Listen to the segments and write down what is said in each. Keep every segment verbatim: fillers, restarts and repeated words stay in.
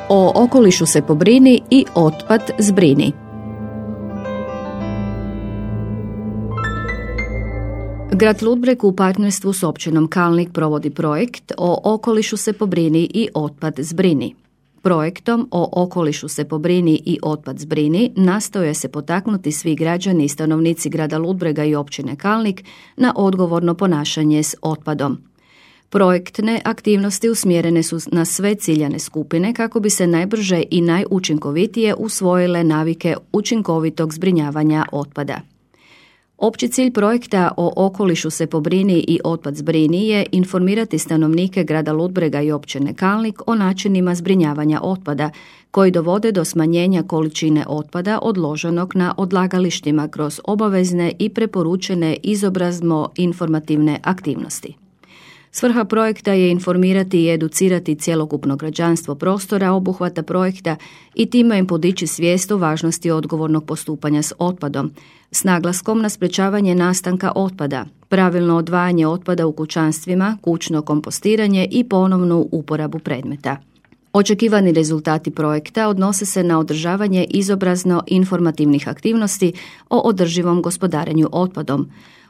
O okolišu se pobrini i otpad zbrini. Grad Ludbreg u partnerstvu s općinom Kalnik provodi projekt O okolišu se pobrini i otpad zbrini. Projektom O okolišu se pobrini i otpad zbrini nastoje se potaknuti svi građani i stanovnici grada Ludbrega i općine Kalnik na odgovorno ponašanje s otpadom. Projektne aktivnosti usmjerene su na sve ciljane skupine kako bi se najbrže i najučinkovitije usvojile navike učinkovitog zbrinjavanja otpada. Opći cilj projekta O okolišu se pobrini i otpad zbrini je informirati stanovnike grada Ludbrega i općine Kalnik o načinima zbrinjavanja otpada koji dovode do smanjenja količine otpada odloženog na odlagalištima kroz obavezne i preporučene izobrazno-informativne aktivnosti. Svrha projekta je informirati i educirati cjelokupno građanstvo prostora obuhvata projekta i time im podići svijest o važnosti odgovornog postupanja s otpadom, s naglaskom na sprečavanje nastanka otpada, pravilno odvajanje otpada u kućanstvima, kućno kompostiranje i ponovnu uporabu predmeta. Očekivani rezultati projekta odnose se na održavanje izobrazno-informativnih aktivnosti o održivom gospodarenju otpadom,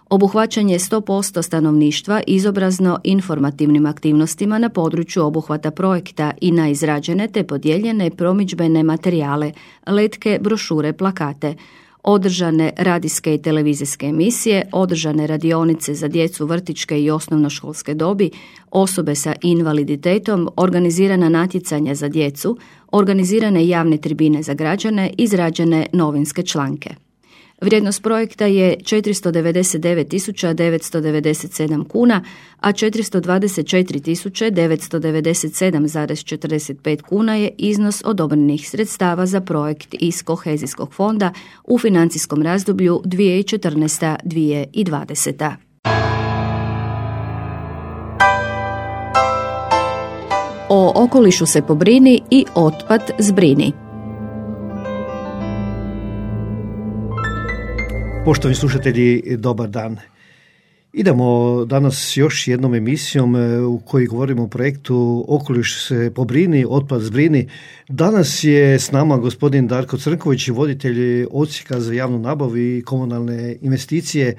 obuhvaćanje sto posto stanovništva izobrazno-informativnim aktivnostima na području obuhvata projekta i na izrađene te podijeljene promidžbene materijale, letke, brošure, plakate, održane radijske i televizijske emisije, održane radionice za djecu vrtićke i osnovnoškolske dobi, osobe sa invaliditetom, organizirana natjecanja za djecu, organizirane javne tribine za građane, izrađene novinske članke. Vrijednost projekta je četiristo devedeset devet tisuća devetsto devedeset sedam kuna, a četiristo dvadeset četiri tisuće devetsto devedeset sedam zarez četrdeset pet kuna je iznos odobrenih sredstava za projekt iz kohezijskog fonda u financijskom razdoblju dvije tisuće četrnaesta do dvije tisuće dvadeseta. O okolišu se pobrini i otpad zbrini. Poštovani slušatelji, dobar dan. Idemo danas još jednom emisijom u kojoj govorimo o projektu Okoliš se pobrini, otpad zbrini. Danas je s nama gospodin Darko Crnković, voditelj odsjeka za javnu nabavu i komunalne investicije,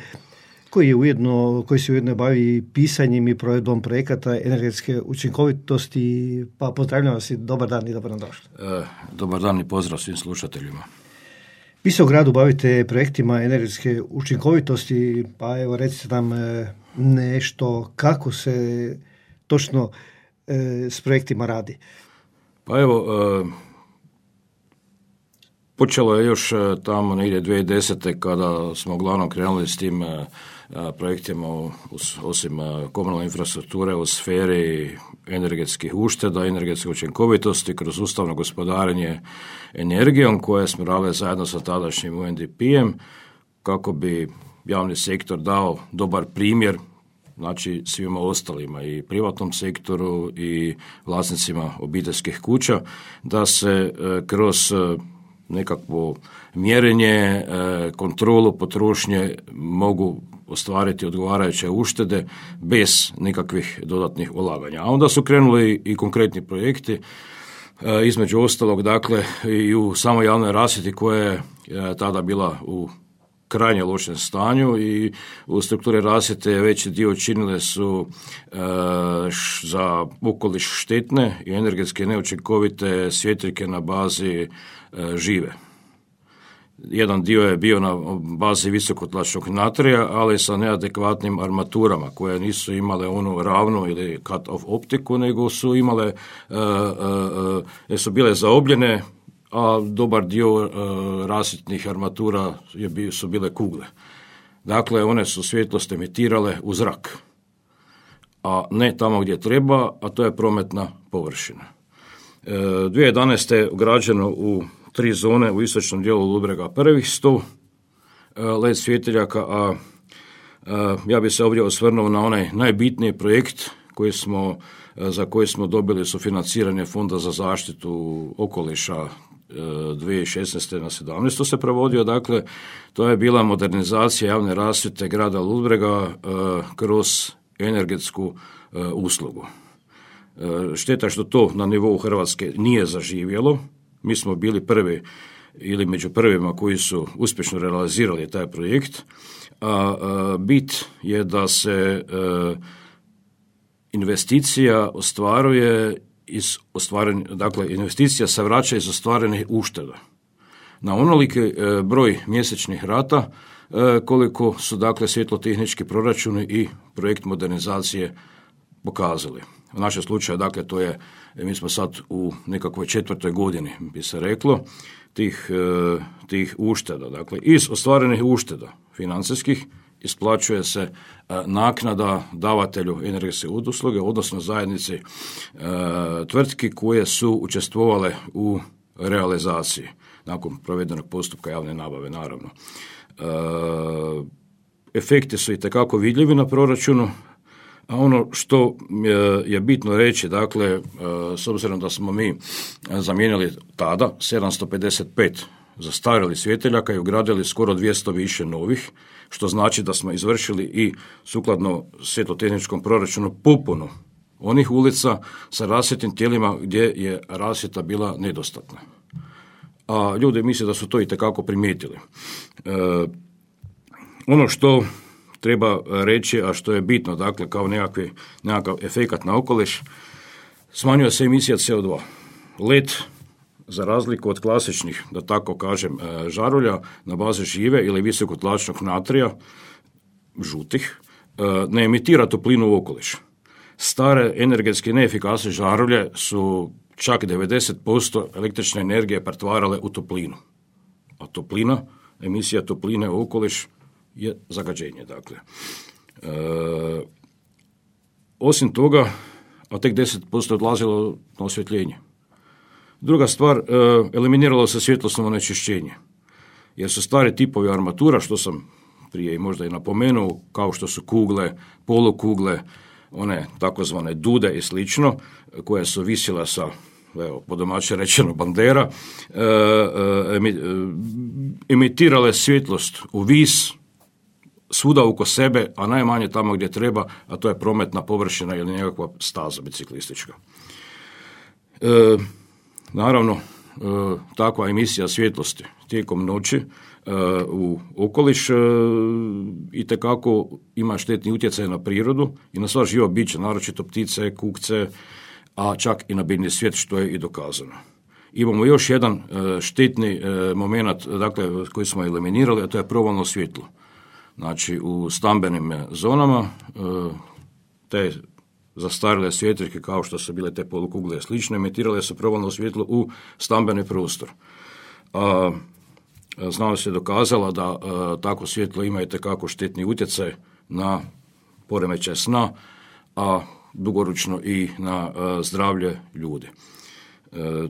koji, je ujedno, koji se ujedno bavi pisanjem i provedbom projekata energetske učinkovitosti. Pa pozdravljam vas i dobar dan i dobro nam došli. E, dobar dan i pozdrav svim slušateljima. Vi se u gradu bavite projektima energetske učinkovitosti, pa evo recite nam nešto kako se točno e, s projektima radi. Pa evo, e, počelo je još tamo negdje dvije tisuće desete kada smo uglavnom krenuli s tim e, projektima osim komunalne infrastrukture u sferi energetskih ušteda, energetske učinkovitosti kroz sustavno gospodarenje energijom koje smo radili zajedno sa tadašnjim U N D P-em kako bi javni sektor dao dobar primjer, znači svima ostalima i privatnom sektoru i vlasnicima obiteljskih kuća, da se kroz nekakvo mjerenje, kontrolu potrošnje mogu ostvariti odgovarajuće uštede bez nikakvih dodatnih ulaganja. A onda su krenuli i konkretni projekti, između ostalog, dakle, i u samoj javnoj rasvjeti koja je tada bila u krajnje lošem stanju i u strukturi rasvjete veći dio činile su e, š, za okoliš štetne i energetske neučinkovite svjetiljke na bazi e, žive. Jedan dio je bio na bazi visokotlačnog natrija, ali sa neadekvatnim armaturama koje nisu imale onu ravnu ili cut-off optiku, nego su imale, uh, uh, uh, su bile zaobljene, a dobar dio uh, rasvjetnih armatura je bio, su bile kugle. Dakle, one su svjetlost emitirale u zrak, a ne tamo gdje treba, a to je prometna površina. Uh, dvije tisuće jedanaeste ugrađeno u tri zone u istočnom dijelu Ludbrega prvih sto L E D svjetiljaka, a, a ja bih se ovdje osvrnuo na onaj najbitniji projekt koji smo, za koji smo dobili sufinanciranje Fonda za zaštitu okoliša dvije tisuće šesnaeste na sedamnaestu se provodio. Dakle, to je bila modernizacija javne rasvjete grada Ludbrega a, kroz energetsku a, uslugu. Šteta što to na nivou Hrvatske nije zaživjelo. Mi smo bili prvi ili među prvima koji su uspješno realizirali taj projekt. A, a bit je da se a, investicija ostvaruje iz ostvarenih, dakle investicija se vraća iz ostvarenih ušteda. Na onoliki a, broj mjesečnih rata a, koliko su dakle svjetlotehnički proračuni i projekt modernizacije pokazali. U našem slučaju, dakle, to je, mi smo sad u nekakvoj četvrtoj godini, bi se reklo, tih, tih ušteda. Dakle, iz ostvarenih ušteda financijskih isplaćuje se naknada davatelju energetske usluge, odnosno zajednici tvrtki koje su učestvovale u realizaciji nakon provedenog postupka javne nabave, naravno. Efekti su itekako vidljivi na proračunu. A ono što je bitno reći, dakle, s obzirom da smo mi zamijenili tada sedamsto pedeset pet zastarjelih svjetiljaka i ugradili skoro dvjesto više novih, što znači da smo izvršili i sukladno svjetlotehničkom proračunu popunu onih ulica sa rasvjetnim tijelima gdje je rasvjeta bila nedostatna. A ljudi misle da su to itekako primijetili. E, ono što treba reći, a što je bitno, dakle, kao nekakvi, nekakav efekat na okoliš, smanjuje se emisija C O dva. Led, za razliku od klasičnih, da tako kažem, žarulja na bazi žive ili visokotlačnog natrija, žutih, ne emitira toplinu u okoliš. Stare energetski neefikasne žarulje su čak devedeset posto električne energije pretvarale u toplinu. A toplina, emisija topline u okoliš je zagađenje, dakle. E, osim toga, a tek deset posto odlazilo na osvjetljenje. Druga stvar, e, eliminiralo se svjetlosno onečišćenje, jer su stari tipovi armatura, što sam prije i možda i napomenuo, kao što su kugle, polukugle, one takozvane dude i slično, koje su visile sa, evo, po domaće rečeno, bandera, e, e, emitirale svjetlost u vis, svuda oko sebe, a najmanje tamo gdje treba, a to je prometna površina ili nekakva staza biciklistička. E, naravno, e, takva emisija svjetlosti tijekom noći e, u okoliš e, itekako ima štetni utjecaj na prirodu i na sva živa bića, naročito ptice, kukce, a čak i na biljni svijet, što je i dokazano. Imamo još jedan e, štetni e, moment, dakle, koji smo eliminirali, a to je provalno svjetlo. Znači, u stambenim zonama te zastarjele svjetiljke, kao što su bile te polukugle i slično, emitirale su provalno svjetlo u stambeni prostor. A, znanost je dokazala da a, tako svjetlo ima itekako štetni utjecaj na poremećaj sna, a dugoročno i na a, zdravlje ljudi. E,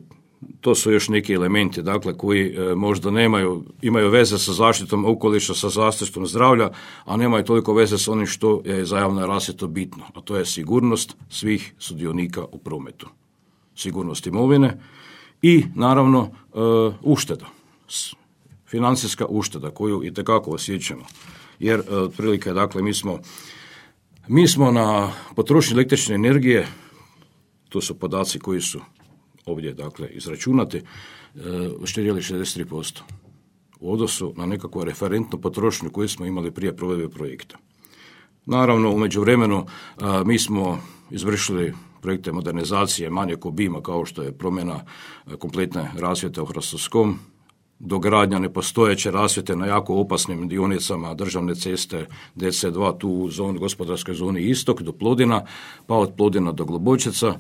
To su još neki elementi, dakle, koji e, možda nemaju, imaju veze sa zaštitom okoliša, sa zaštitom zdravlja, a nemaju toliko veze sa onim što je za javnu rasvjetu bitno, a to je sigurnost svih sudionika u prometu. Sigurnost imovine i, naravno, e, ušteda, financijska ušteda koju itekako osjećamo. Jer, e, otprilike, dakle, mi smo, mi smo na potrošnji električne energije, to su podaci koji su ovdje, dakle, izračunati, uštedjeli šezdeset tri posto u odnosu na nekakvu referentnu potrošnju koju smo imali prije provedbe projekta. Naravno, u međuvremenu mi smo izvršili projekte modernizacije manjeg obima, kao što je promjena kompletne rasvjete u Hrastovskom, dogradnja nepostojeće rasvjete na jako opasnim dionicama državne ceste D C dva, tu u zoni, gospodarskoj zoni Istok do Plodina, pa od Plodina do Globočeca,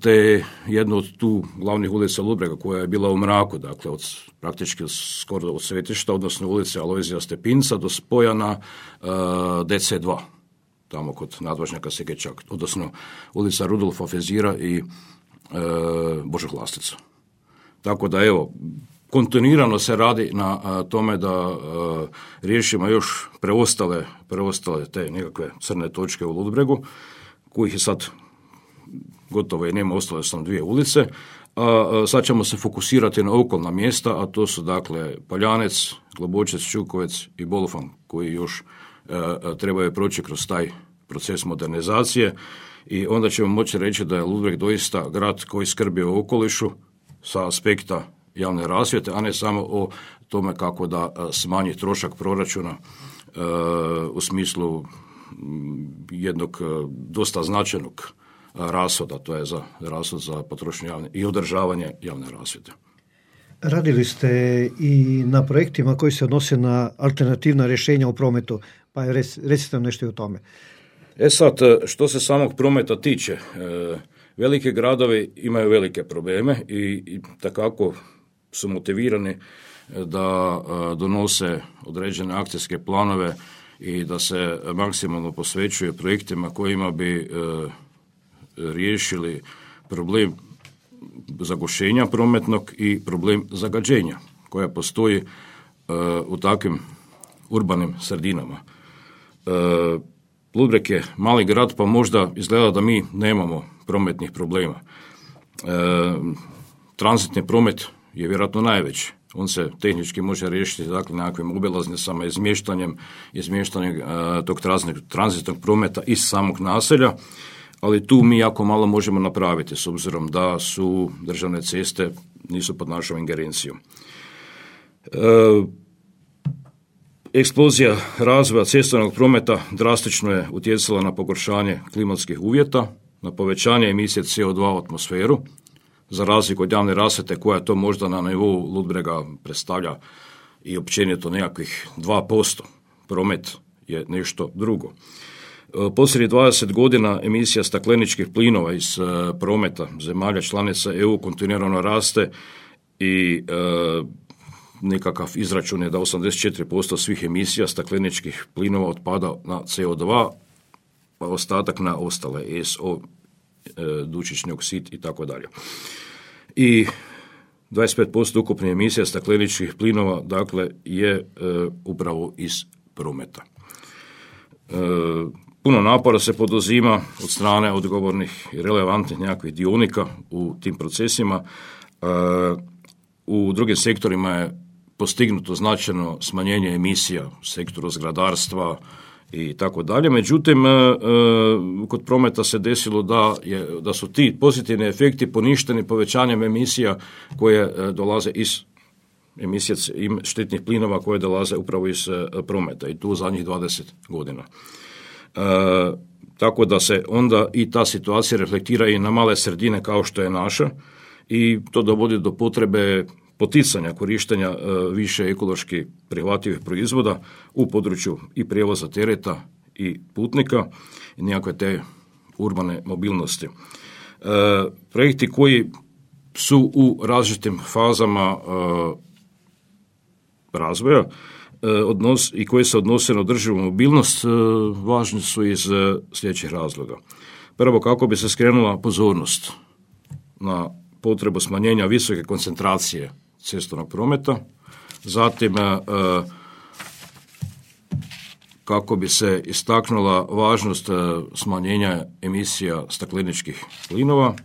te jednu od tu glavnih ulica Ludbrega koja je bila u mraku, dakle od praktički skoro od Svetišta, odnosno ulice Alojzija Stepinca do spoja na uh, D C dva, tamo kod nadvožnjaka Segečak, odnosno ulica Rudolfa Fezira i uh, Božog Lastica. Tako da, evo, kontinuirano se radi na a, tome da a, riješimo još preostale, preostale te nekakve crne točke u Ludbregu, kojih je sad gotovo i nema, ostale su nam dvije ulice, a, a sad ćemo se fokusirati na okolna mjesta, a to su, dakle, Poljanec, Globočec, Čukovec i Bolofan, koji još a, a, trebaju proći kroz taj proces modernizacije i onda ćemo moći reći da je Ludbreg doista grad koji skrbi o okolišu sa aspekta javne rasvjete, a ne samo o tome kako da smanji trošak proračuna e, u smislu jednog dosta značajnog rashoda, to je za rashod za potrošnju javne i održavanje javne rasvjete. Radili ste i na projektima koji se odnose na alternativna rješenja u prometu, pa recite nam nešto i o tome. E sad, što se samog prometa tiče, velike gradovi imaju velike probleme i, i takako su motivirani da donose određene akcijske planove i da se maksimalno posvećuje projektima kojima bi e, riješili problem zagušenja prometnog i problem zagađenja koja postoji e, u takvim urbanim sredinama. E, Ludbreg je mali grad, pa možda izgleda da mi nemamo prometnih problema. E, tranzitni promet je vjerojatno najveći. On se tehnički može riješiti dakle nekakvim obilaznicama, izmještanjem, izmještanjem uh, tog tranzitnog prometa iz samog naselja, ali tu mi jako malo možemo napraviti s obzirom da su državne ceste nisu pod našom ingerencijom. Uh, eksplozija razvoja cestovnog prometa drastično je utjecala na pogoršanje klimatskih uvjeta, na povećanje emisije C O dva u atmosferu, za razliku od javne rasvjete koja to možda na nivou Ludbrega predstavlja i općenito nekakvih dva posto. Promet je nešto drugo. Posljednjih dvadeset godina emisija stakleničkih plinova iz prometa zemalja članica E U kontinuirano raste i e, nekakav izračun je da osamdeset četiri posto svih emisija stakleničkih plinova otpada na C O dva, pa ostatak na ostale S O, dušični oksid i tako dalje. I dvadeset pet posto ukupne emisija stakleničkih plinova dakle je e, upravo iz prometa. E, puno napora se poduzima od strane odgovornih i relevantnih nekakvih dionika u tim procesima. E, u drugim sektorima je postignuto značajno smanjenje emisija u sektoru zgradarstva i tako dalje. Međutim, e, e, kod prometa se desilo da, je, da su ti pozitivni efekti poništeni povećanjem emisija koje e, dolaze iz emisija štetnih plinova koje dolaze upravo iz e, prometa i tu zadnjih dvadeset godina. E, tako da se onda i ta situacija reflektira i na male sredine kao što je naša i to dovodi do potrebe poticanja korištenja e, više ekološki prihvatljivih proizvoda u području i prijevoza tereta i putnika i nekakve te urbane mobilnosti. E, projekti koji su u različitim fazama e, razvoja e, odnos, i koji se odnose na održivu mobilnost e, važni su iz e, sljedećih razloga. Prvo, kako bi se skrenula pozornost na potrebu smanjenja visoke koncentracije cestovnog prometa, zatim e, kako bi se istaknula važnost e, smanjenja emisija stakleničkih plinova, e,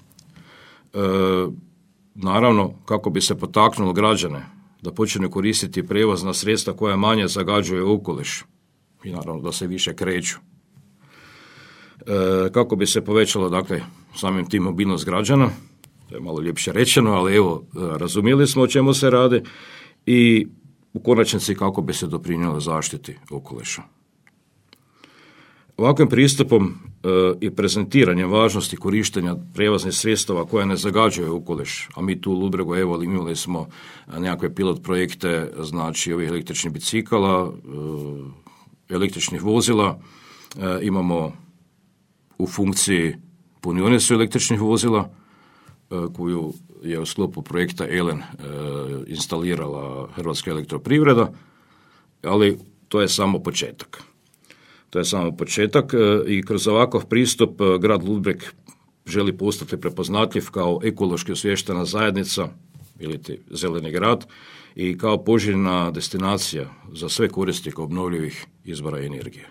naravno kako bi se potaknulo građane da počnu koristiti prijevozna sredstva koja manje zagađuju okoliš i naravno da se više kreću. E, kako bi se povećalo dakle samim tim mobilnost građana, to je malo ljepše rečeno, ali evo, razumjeli smo o čemu se radi i u konačnici kako bi se doprinijelo zaštiti okoliša. Ovakvim pristupom e, i prezentiranjem važnosti korištenja prijevoznih sredstava koja ne zagađuju okoliš, a mi tu u Ludbregu evo imali smo nekakve pilot projekte, znači ovih električnih bicikala, e, električnih vozila, e, imamo u funkciji punionicu električnih vozila, koju je u sklopu projekta ELEN e, instalirala Hrvatska elektroprivreda, ali to je samo početak. To je samo početak e, i kroz ovakav pristup e, grad Ludbreg želi postati prepoznatljiv kao ekološki osviještena zajednica ili zeleni grad i kao poželjna destinacija za sve korisnike obnovljivih izvora energije.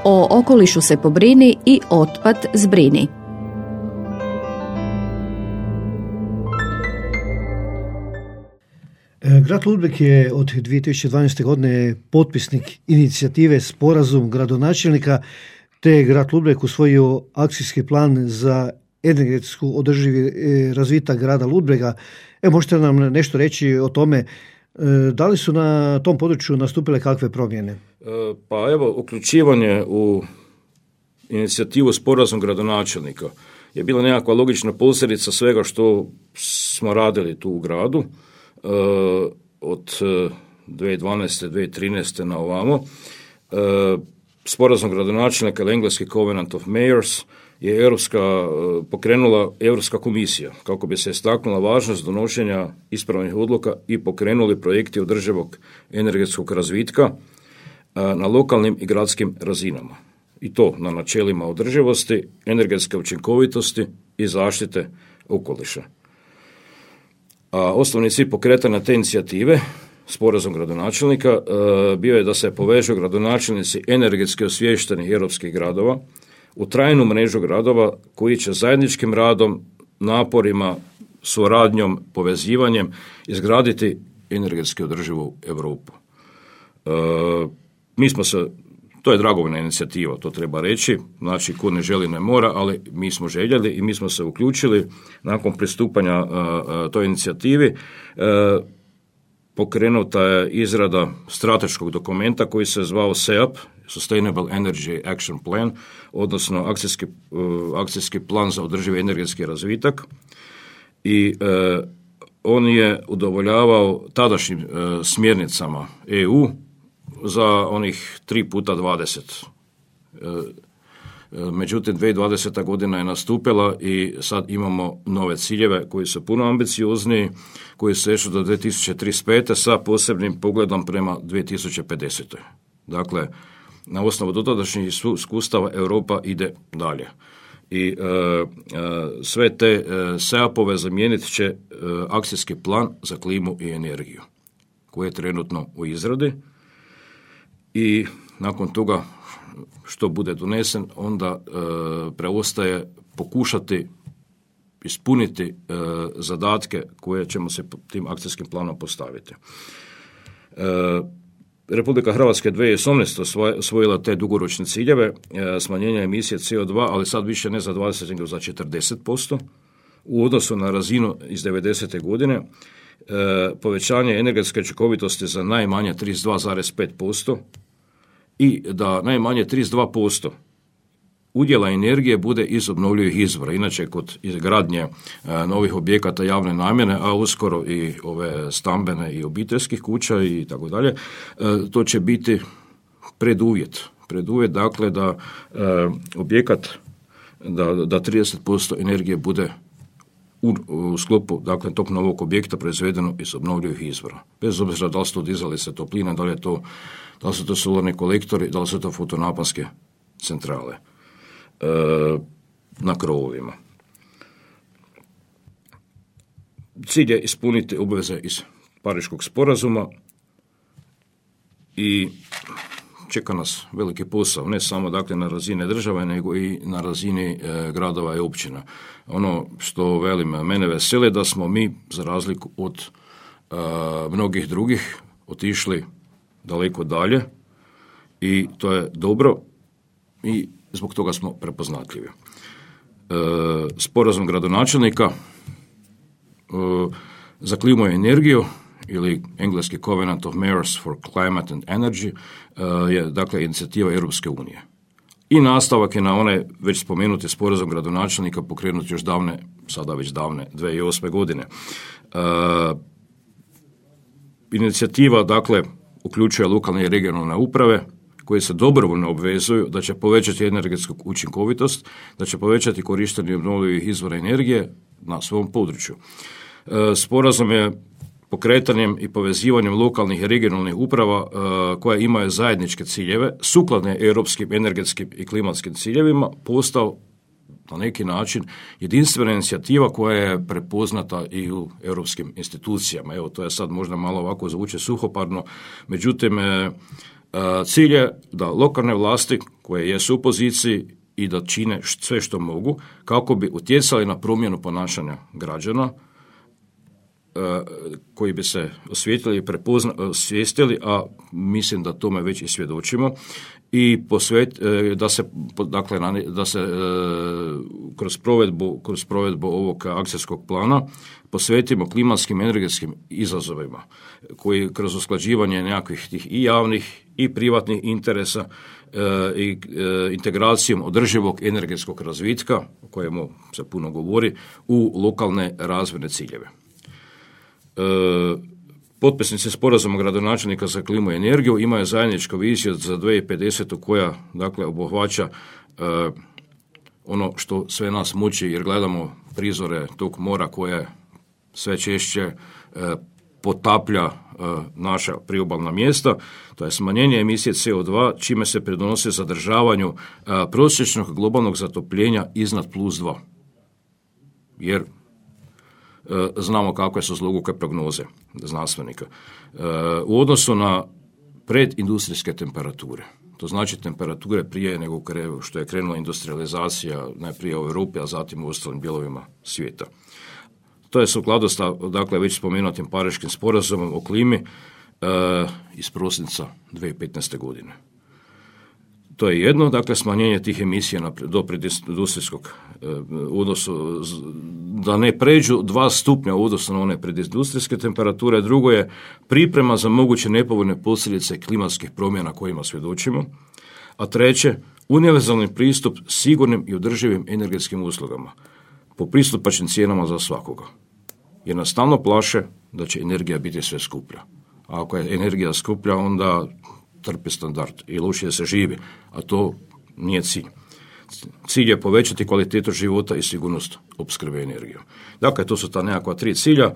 O okolišu se pobrini i otpad zbrini. Grad Ludbreg je od dvije tisuće dvanaeste. godine potpisnik inicijative Sporazum gradonačelnika, te je Grad Ludbreg usvojio akcijski plan za energetsku održivi razvitak grada Ludbrega. Evo, možete nam nešto reći o tome, da li su na tom području nastupile kakve promjene? Pa evo, uključivanje u inicijativu Sporazum gradonačelnika je bila nekakva logična posljedica svega što smo radili tu u gradu od dvije tisuće dvanaeste. dvije tisuće trinaeste. na ovamo. Sporazum gradonačelnika ili engleski Covenant of Mayors je europska, pokrenula Europska komisija kako bi se istaknula važnost donošenja ispravnih odluka i pokrenuli projekti održivog energetskog razvitka na lokalnim i gradskim razinama. I to na načelima održivosti, energetske učinkovitosti i zaštite okoliša. A osnovni cilj pokretanja te inicijative, Sporazum gradonačelnika, bio je da se povežu gradonačelnici energetski osviještenih europskih gradova u trajnu mrežu gradova koji će zajedničkim radom, naporima, suradnjom, povezivanjem izgraditi energetski održivu Europu. E, mi smo se, to je dragovoljna inicijativa, to treba reći, znači ko ne želi ne mora, ali mi smo željeli i mi smo se uključili nakon pristupanja a, a, toj inicijativi. E, pokrenuta je izrada strateškog dokumenta koji se zvao S E A P, Sustainable Energy Action Plan, odnosno akcijski, uh, akcijski plan za održivi energetski razvitak i uh, on je udovoljavao tadašnjim uh, smjernicama E U za onih tri puta dvadeset. Uh, Međutim, dvije tisuće dvadeseta. godina je nastupila i sad imamo nove ciljeve koji su puno ambiciozniji, koji sežu do dvije tisuće trideset pete. sa posebnim pogledom prema dvije tisuće pedesetoj. Dakle, na osnovu dotadašnjih iskustava Europa ide dalje. I e, e, sve te e, S E A P-ove zamijenit će e, akcijski plan za klimu i energiju, koji je trenutno u izradi i nakon toga što bude donesen, onda e, preostaje pokušati ispuniti e, zadatke koje ćemo se tim akcijskim planom postaviti. E, Republika Hrvatska dvije tisuće osamnaeste. osvojila te dugoročne ciljeve e, smanjenja emisije C O dva, ali sad više ne za dvadeset, nego za četrdeset posto u odnosu na razinu iz devedesete. godine. E, povećanje energetske učinkovitosti za najmanje trideset dva zarez pet posto i da najmanje trideset dva posto udjela energije bude iz obnovljivih izvora. Inače, kod izgradnje e, novih objekata javne namjene, a uskoro i ove stambene i obiteljskih kuća i tako dalje, to će biti preduvjet. Preduvjet, dakle, da e, objekat, da, da trideset posto energije bude u, u sklopu, dakle, tog novog objekta proizvedeno iz obnovljivih izvora. Bez obzira da li su to dizalice toplina, da li je to, da li su to solarni kolektori, da li su to fotonaponske centrale na krovovima. Cilj je ispuniti obveze iz Pariškog sporazuma i čeka nas veliki posao, ne samo dakle na razini države, nego i na razini e, gradova i općina. Ono što velim, mene veseli da smo mi, za razliku od e, mnogih drugih, otišli daleko dalje i to je dobro i zbog toga smo prepoznatljivi. E, sporazum gradonačelnika e, za klimu i energiju ili engleski Covenant of Mayors for Climate and Energy e, je dakle inicijativa Europske unije. I nastavak je na onaj već spomenuti sporazum gradonačelnika pokrenut još davne, sada već davne, dvije tisuće osme. godine. E, inicijativa dakle uključuje lokalne i regionalne uprave koje se dobrovoljno obvezuju da će povećati energetsku učinkovitost, da će povećati korištenje obnovljivih izvora energije na svom području. Sporazum je pokretanjem i povezivanjem lokalnih i regionalnih uprava koje imaju zajedničke ciljeve, sukladne europskim energetskim i klimatskim ciljevima, postao na neki način jedinstvena inicijativa koja je prepoznata i u europskim institucijama. Evo, to je sad možda malo ovako zvuči suhoparno, međutim, cilj je da lokalne vlasti koje jesu u poziciji i da čine sve što mogu kako bi utjecali na promjenu ponašanja građana koji bi se osvijetili i prepozna, osvijestili, a mislim da tome već i svjedočimo, i posvet, da se, dakle, da se kroz provedbu, kroz provedbu ovog akcijskog plana posvetimo klimatskim energetskim izazovima koji kroz usklađivanje nekakvih tih i javnih i privatnih interesa i integracijom održivog energetskog razvitka, o kojemu se puno govori, u lokalne razvojne ciljeve. Potpisnici sporazuma gradonačelnika za klimu i energiju imaju zajedničku viziju za dvije tisuće pedesetu koja, dakle, obuhvaća ono što sve nas muči, jer gledamo prizore tog mora koje sve češće potaplja naša priobalna mjesta. To je smanjenje emisije C O dva, čime se pridonosi zadržavanju prosječnog globalnog zatopljenja iznad plus dva. Jer znamo kakve su zloguke prognoze znanstvenika. U odnosu na predindustrijske temperature, to znači temperature prije nego što je krenula industrializacija, najprije u Europi, a zatim u ostalim dijelovima svijeta. To je sukladno sa, dakle, već spomenutim Pariškim sporazumom o klimi e, iz prosinca dvije tisuće petnaeste. godine. To je jedno, dakle, smanjenje tih emisija na, do predindustrijskog e, odnosu, da ne pređu dva stupnja u odnosu na one predindustrijske temperature. Drugo je priprema za moguće nepovoljne posljedice klimatskih promjena kojima svjedočimo. A treće, univerzalni pristup sigurnim i održivim energetskim uslugama po pristupačnim cijenama za svakoga. Jer nas stalno plaše da će energija biti sve skuplja. A ako je energija skuplja, onda trpi standard i lošije se živi, a to nije cilj. Cilj je povećati kvalitetu života i sigurnost opskrbe energijom. Dakle, to su ta nekakva tri cilja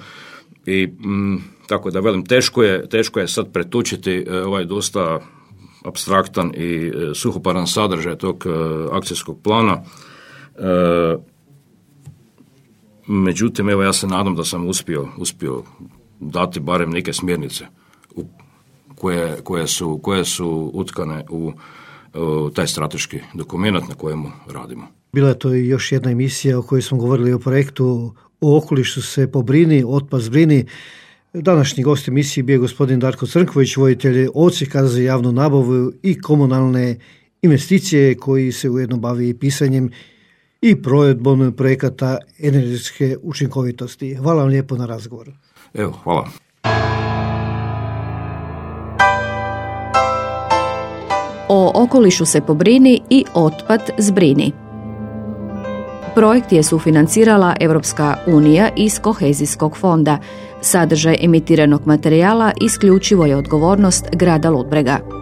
i m, tako da velim, teško je, teško je sad pretučiti e, ovaj dosta apstraktan i e, suhoparan sadržaj tog e, akcijskog plana. E, Međutim, evo, ja se nadam da sam uspio, uspio dati barem neke smjernice u, koje, koje, su, koje su utkane u, u taj strateški dokument na kojemu radimo. Bila je to i još jedna emisija o kojoj smo govorili o projektu O okolišu se pobrini, otpad zbrini. Današnji gost emisije bio je gospodin Darko Crnković, voditelj odsjeka za javnu nabavu i komunalne investicije, koji se ujedno bavi i pisanjem i provedbom projekata energetske učinkovitosti. Hvala vam lijepo na razgovoru. Evo, hvala. O okolišu se pobrini i otpad zbrini. Projekt je sufinancirala Europska unija iz Kohezijskog fonda. Sadržaj emitiranog materijala isključivo je odgovornost grada Ludbrega.